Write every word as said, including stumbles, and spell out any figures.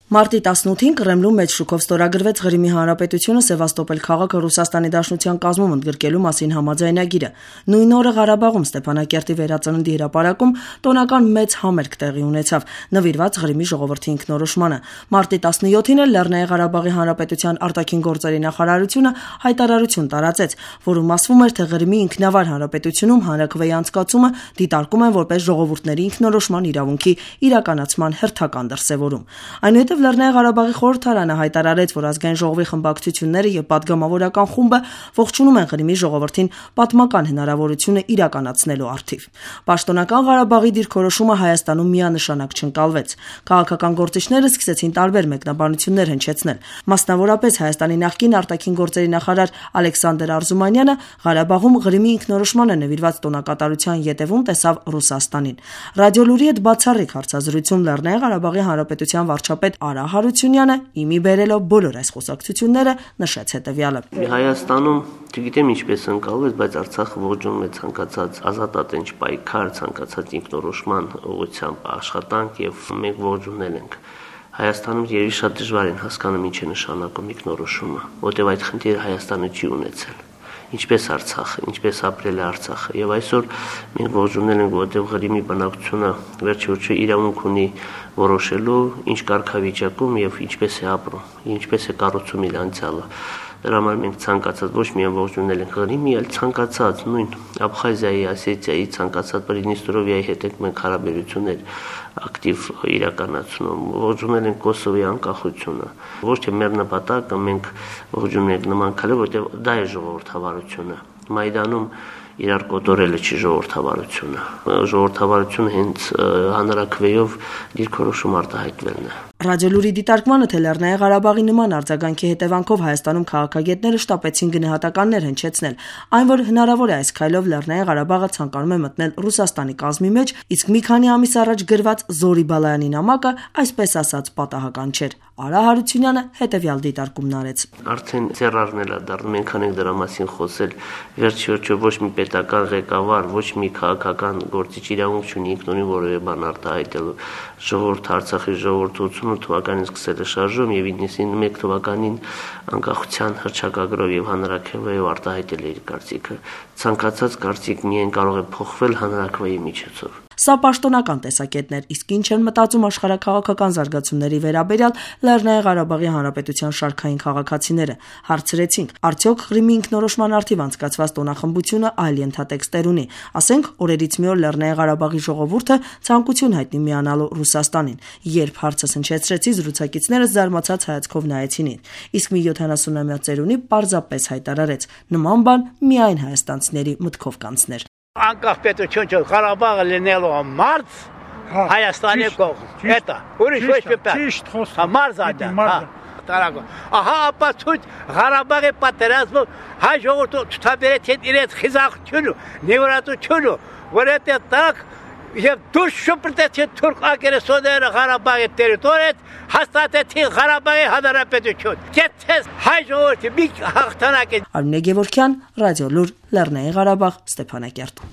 Մարտի տասնութին Կրեմլում մեծ շուկով ստորագրվեց Ղրիմի Հանրապետությունը Սևաստոպոլ քաղաքը Ռուսաստանի Դաշնության կազմում ընդգրկելու մասին համաձայնագիրը։ Նույն օրը Ղարաբաղում Ստեփանակերտի վերածննդի հրապարակում տոնական մեծ համերգ տեղի ունեցավ, նվիրված Ղրիմի ժողովրդի ինքնորոշմանը։ Մարտի տասնյոթին էլ Լեռնային Ղարաբաղի Հանրապետության արտաքին գործերի նախարարությունը հայտարարություն տարածեց, որում ասվում էր, թե Ղրիմի ինքնավար հանրապետությունում հանրաքվեի անցկացումը դիտարկում են որպես ժողովուրդների ինքնորոշման իրավունքի իրականացման հերթական դրսևորում։ Այնուհետև Լեռնային Ղարաբաղի խորհրդարանը հայտարարեց, որ ազգային ժողովի խմբակցությունները եւ պատգամավորական խումբը ողջունում են Ղրիմի ժողովրդին պատմական հնարավորությունը իրականացնելու առթիվ։ Պաշտոնական Ղարաբաղի դիրքորոշումը Հայաստանում միանշանակ չընկալվեց։ Քաղաքական գործիչները սկսեցին տարբեր մեկնաբանություններ հնչեցնել։ Մասնավորապես Հայաստանի նախկին արտաքին գործերի նախարար Ալեքսանդր Արզումանյանը Ղարաբաղում Ղրիմի ինքնորոշմանը նվիրված տոնակատարության ետևում տեսավ Ռուսաստանին։ Ռադիոլուրի հետ բացառիկ հարցազրույցում Լեռնային Ղարաբաղի Հանրապետության վարչապետ Արա Հարությունյանը իմի բերելով բոլոր այս խոսակցությունները նշեց հետևյալը. Հայաստանում չգիտեմ ինչպես ընկալվեց, բայց Արցախը ողջունում է ցանկացած ազատատենչ պայքար, ցանկացած ինքնորոշման ուղղությամբ աշխատանք եւ մենք ողջունել ենք։ Հայաստանում երևի շատ դժվար են հասկանում ինչ է նշանակում ինքնորոշումը, որտեղ այդ խնդիրը Հայաստանը չի ունեցել։ Ինչպես Արցախը, ինչպես ապրել է Արցախը եւ այսօր մենք ողջունել ենք, որտեղ Ղրիմի բնակչությունը վերջիվերջո իրավունք ունի որոշելու ինչ կարգավիճակում եւ ինչպես է ապրում, ինչպես է կառուցում իր անցյալը։ Դրա համար մենք ցանկացած ոչ միայն ողջունել ենք Ղրիմի, այլ ցանկացած նույն Աբխազիայի, Ասետիայի, ցանկացած Պրիդնիստրովիայի հետ մենք հարաբերություններ ակտիվ իրականացնում, ողջունել ենք Կոսովոյի անկախությունը։ Ոչ թե մեր նպատակը մենք ողջունել ենք նման քայլը, որտեղ դա է ժողովրդավարությունը։ Մայդանում իրար կոտորելը չի ժողովրդավարությունը։ Ժողովրդավարությունը հենց հանրաքվեով դիրքորոշում արտահայտվելն է։ Ռադիոլուրի դիտարկմանը, թե Լեռնային Ղարաբաղի նման արձագանքի հետևանքով Հայաստանում քաղաքագետները շտապեցին գնահատականներ հնչեցնել, այն որ հնարավոր է այս քայլով Լեռնային Ղարաբաղը ցանկանում է մտնել Ռուսաստանի կազմի մեջ, իսկ մի քանի ամիս առաջ գրված Զորի Բալայանի նամակը, այսպես ասած, պատահական չէր։ Արա Հարությունյանը հետևյալ դիտարկումն արեց. Արդեն ծերարն է դառնում, մենք անենք դրա մասին խոսել, վերջիվերջո ոչ մի պետական ղեկավար, ոչ մի քաղաքական գործիչ իրավունք չունի ինքնուրույն որևէ բան արտահայտելու։ Ժողովուրդ Արցախի ժողովուրդը ութսուն թվականին սկսել է շարժում եւ իննսունմեկ թվականին անկախության հռչակագրով եւ հանրաքվեով արտահայտել է իր կարծիքը։ Ցանկացած կարծիք միայն կարող է փոխվել հանրաքվեի միջոցով։ Սա պաշտոնական տեսակետն էր, իսկ ինչ են մտածում աշխարհաքաղաքական զարգացումների վերաբերյալ Լեռնային Ղարաբաղի Հանրապետության շարքային քաղաքացիները։ Հարցրեցինք, արդյոք Ղրիմի ինքնորոշման առթիվ անցկացված տոնախմբությունը այլ ենթատեքստեր ունի։ Ասենք, օրերից մի օր Լեռնային Ղարաբաղի ժողովուրդը ցանկություն հայտնի միանալու Ռուսաստանին։ Երբ հարցը հնչեցրեցի, զրուցակիցները զարմացած հայացքով նայեցին ինձ, իսկ մի յոթանասունամյա ծերունի պարզապես հայտարարեց. նման բան միայն հայաստանցիների մտքով կանցներ։ Անկախ պետություն չէ, Ղարաբաղը լինելու մարդ Հայաստանի կողմ։ Էտա, ուրիշ ոչ մի բան։ Ճիշտ խոսք։ Մարդ ադա, հա, տարագո։ Ահա ապացույց Ղարաբաղի պատերազմը հայ ժողովուրդը ցտաբերեց իրենց խիզախությունը, նեվրատությունը, որ այդ տակ եւ դուրս շփրտեցին թուրք ագրեսորները Ղարաբաղի տերիտորիայից, հաստատեցին Ղարաբաղի հանրապետություն։ Եթե հայ ժողովուրդը մի հաղթանակ է։ Արմինե Գևորգյան, Ռադիոլուր, Լեռնային Ղարաբաղ, Ստեփանակերտ։